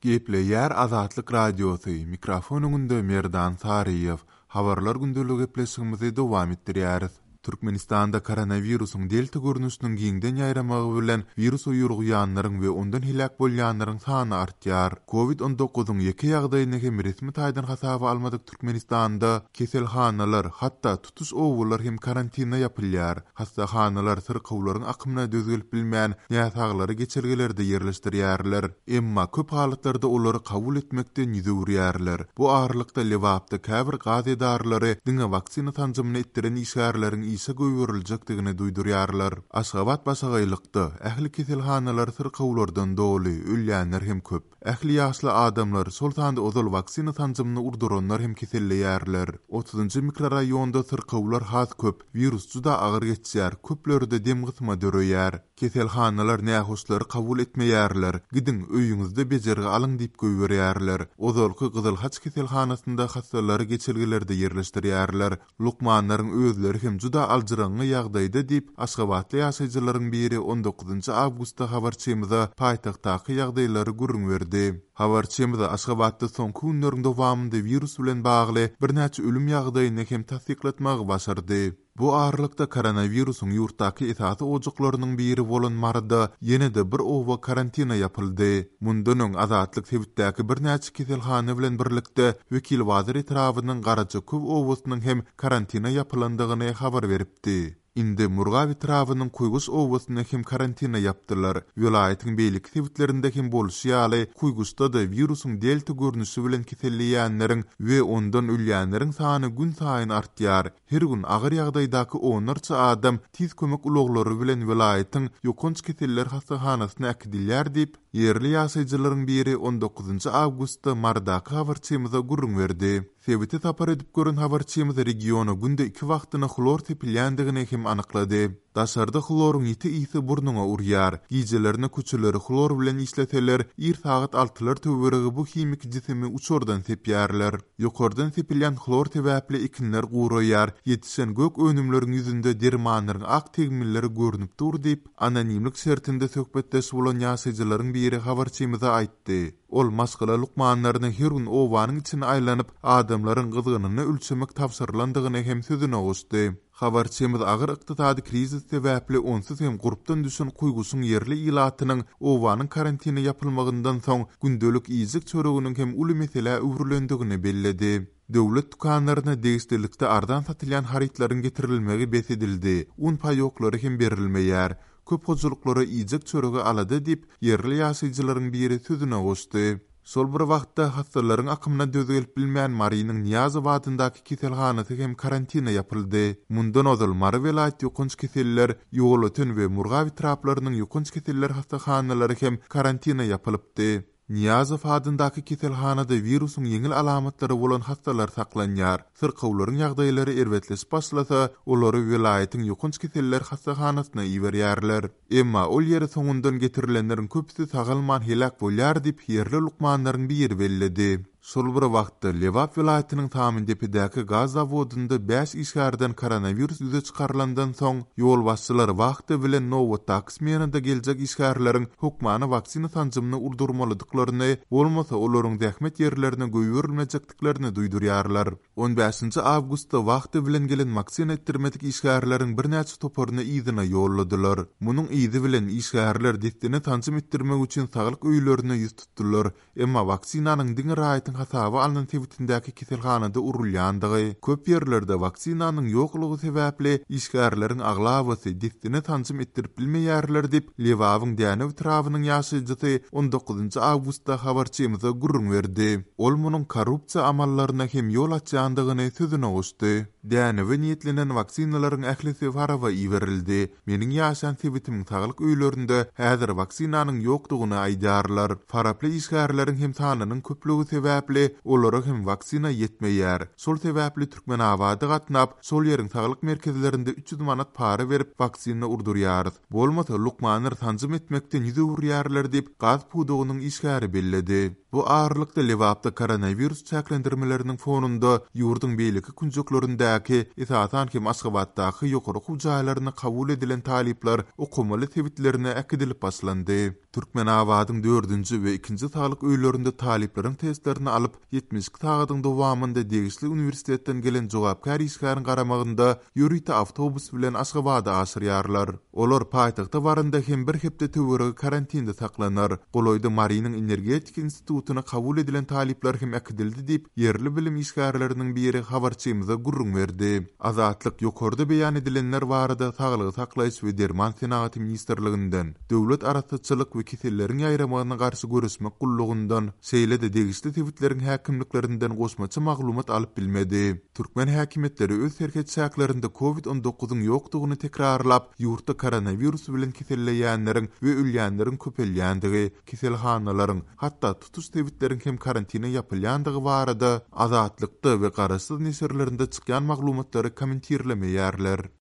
Gepleýär Azatlyk Radiosy, mikrofon öňünde Merdan Saryýew. Habarlar gündeligi gepleşigimizi dowam etdirýäris. Türkmenistanda koronawirusyň delta görnüşiniň giňden ýaýramagy bilen wirusa ýolugýanlaryň we ondan heläk bolýanlaryň sany artýar. Covid 19-yň ýeke ýagdaýyny hem resmi taýdan hasaba almadyk Türkmenistanda keselhanalar, hatda tutuş obalar hem karantina ýapylýar. Hassahanalar syrkawlaryň akymyna döz gelip bilmän, näsaglary geçelgelerde ýerleşdirýärler. Emma köp halatlarda olary kabul etmekden ýüz öwürýärler. Bu aralykda Lebapda käbir gaz edaralary diňe waksina sanjymyny etdiren işgärleriň işe goýberiljekdigini duýdurýarlar. Aşgabat başagaýlykda, ähli keselhanalar syrkawlardan doly, ölýänler hem köp. Ähli ýaşly adamlar, şol sanda ozal waksina sanjymyny urduranlar hem keselleýärler. Otuzynjy mikroraýonda syrkawlar has köp, wirus juda agyr geçýär, köplerde dem gysma döreýär. Keselhanalar nähoşlary kabul etmeýärler, gidiň, öýüňizde bejergi alyň diýip goýberýärler. Ozalky Gyzyl Haç keselhanasynda hassalary geçelgelerde ýerleşdirýärler. Lukmanlaryň özleri hem juda aljyraňňy ýagdaýda diýip, aşgabatly ýaşaýjylaryň biri on dokuzynjy awgustda habarçymyza paýtagtdaky ýagdaýlary gürrüň berdi. Habarçymyz Aşgabatda soňky günleriň dowamynda wirus bilen bagly birnäçe ölüm ýagdaýyny hem tassyklatmagy başardy. Bu aralykda koronawirusyň ýurtdaky esasy ojaklarynyň biri bolan Maryda ýene-de bir oba karantina ýapyldy. Mundan öň Azatlyk sebitdäki birnäçe keselhana bilen birlikde Wekilbazar etrabynyň Garajaköw obasynyň hem karantina ýapylandygyny habar beripdi. Indi Murgap etrabynyň Kuýguş obasyny hem karantina ýapdylar. Welaýatyň beýleki sebitlerinde hem bolşy ýaly, Kuýguşda-da wirusyň delta görnüşi bilen keselleýänleriň we ondan ölýänleriň sany günsaýyn artýar. Her gün agyr ýagdaýdaky onlarça adam tiz kömek ulaglary bilen welaýatyň ýokanç keseller hassahanasyna äkidilýär diýip, ýerli ýaşaýjylaryň biri on dokuzynjy awgustda Marydaky habarçymyza gürrüň berdi. Sebite sapar edip gören habarçymyz regiona günde iki wagtyna hlor sepilýändigini hem anyklady. Daşarda hloryň ýiti ysy burnuňa urýar. Gijelerine köçeleri hlor bilen işleseler, ir sagat altylar töweregi bu himiki jisimi uçardan sepýärler. Ýokardan sepilýän hlor sebäpli ekinler guraýar, ýetişen gök önümleriň ýüzünde dermanlaryň ak tegmilleri görnüp dur diýip, anonimlik şertinde söhbetdeş bolan ýaşaýjylaryň biri habarçymyza aýtdy. Ol maşgala lukmanlaryna her gün obanyň içine aýlanyp, adamlaryň gyzgynyny ölçemek tabşyrylandygyny hem sözüne goşdy. Habarçymyz agyr ykdysady krizis sebäpli onsuz hem gurpdan düşen Kuýguşyň ýerli ilatynyň obanyň karantine ýapylmagyndan soň gündelik iýjek çöreginiň hem uly meselä öwrülendigini belledi. Döwlet dükanlaryna degişlilikde arzan satylýan harytlaryň getirilmegi bes edildi, un paýoklary hem berilmeýär. Köp hojalyklara iýjek çöregi alada diýip, ýerli ýaşaýjylaryň biri sözüne goşdy. Şol bir wagtda, hassalaryň akymyna döz gelip bilmän Marynyň Nyýazow adyndaky keselhanasy hem karantina ýapyldy. Mundan ozal Mary welaýat ýokanç keseller, Ýolöten we Murgap etraplarynyň ýokanç keseller hassahanalary hem karantina ýapylypdy. Nyýazow adyndaky keselhanada wirusyň ýeňil alamatlary bolan hassalar saklanýar. Syrkawlaryň ýagdaýlary erbetleşip başlasa, olary welaýatyň ýokanç keseller hassahanasyna iberýärler. Emma ol ýere soňundan getirilenleriň köpüsi sagalman heläk bolýar diýip, ýerli lukmanlaryň biri belledi. Şol bir wagtda, Lebap welaýatynyň Samyndepedäki gaz zawodynda bäş işgärden koronawirus ýüze çykarylandan soň, ýolbaşçylar wahta bilen nobatdaky smenada geljek işgärleriň hökmany waksina sanjymyny urdurmalydyklaryny, bolmasa olaryň zähmet ýerlerine goýberilmejekdiklerini duýdurýarlar. On bäşinji awgustda wahta bilen gelen waksina etdirmedik işgärleriň birnäçe toparyny yzyna ýolladylar. Munuň yzy bilen işgärler dessine sanjym etdirmek üçin saglyk öýlerine ýüz tutdular. Emma waksinanyň diňe raýatyň hasaba alnan sebitindäki keselhanada urulýandygy, köp ýerlerde waksinanyň ýoklugy sebäpli işgärleriň aglabasy dessine sanjym etdirip bilmeýärler diýip, Lebabyň Dänew etrabynyň ýaşaýjysy on dokuzynjy awgustda habarçymyza gürrüň berdi. Ol munuň korrupsiýa amallaryna hem ýol açýandygyny sözüne goşdy. Dänewe niýetlenen waksinalaryň ählisi Faraba iberildi. Meniň ýaşaýan sebitimiň saglyk öýlerinde häzir waksinanyň ýokdugyny aýdýarlar. Faraply işgärleriň hem sanynyň köplügi sebäpli, olara hem waksina ýetmeýär. Şol sebäpli Türkmenabada gatnap, şol ýeriň saglyk merkezlerinde 300 manat para berip, waksina urdurýarys. Bolmasa, lukmanlar sanjym etmekden ýüz öwürýärler diýip, gaz pudagynyň işgäri belledi. Bu aralykda, Lebapda koronawirus çäklendirmeleriniň fonunda ýurduň beýleki künjeklerindäki. şäherlerdäki, esasan hem Aşgabatdaky ýokary okuw jaýlaryna kabul edilen talyplar okamaly sebitlerine äkidilip başlandy. Türkmenabadyň dördünji we ikinji saglyk öýlerinde talyplaryň testlerini alyp, 72 sagadyň dowamynda degişli uniwersitetden gelen jogapkär işgäriň garamagynda ýörite awtobus bilen Aşgabada aşyrýarlar. Olar paýtagta baranda hem bir hepde töweregi karantinde saklanar. Golaýda Marynyň energetika institutyna kabul edilen talyplar hem äkidildi diýip, ýerli bilim işgärleriniň biri habarçymyza gürrüň berdi. Azatlyk ýokarda beýan edilenler barada Saglygy saklaýyş we derman senagaty ministrliginden, Döwlet arassaçylyk we keselleriň ýaýramagyna garşy göreşmek gullugyndan, şeýle-de degişli sebitleriň häkimliklerinden goşmaça maglumat alyp bilmedi. Türkmen häkimiýetleri öz serhet çäklerinde covid 19 yň ýokdugyny tekrarlap, ýurtda koronawirus bilen keselleýänleriň we ölýänleriň köpelýändigi, keselhanalaryň, hatda tutuş sebitleriň hem karantine ýapylýandygy barada Azatlykda we garaşsyz neşirlerinde çykýan maglumatlary kommentirlemeýärler.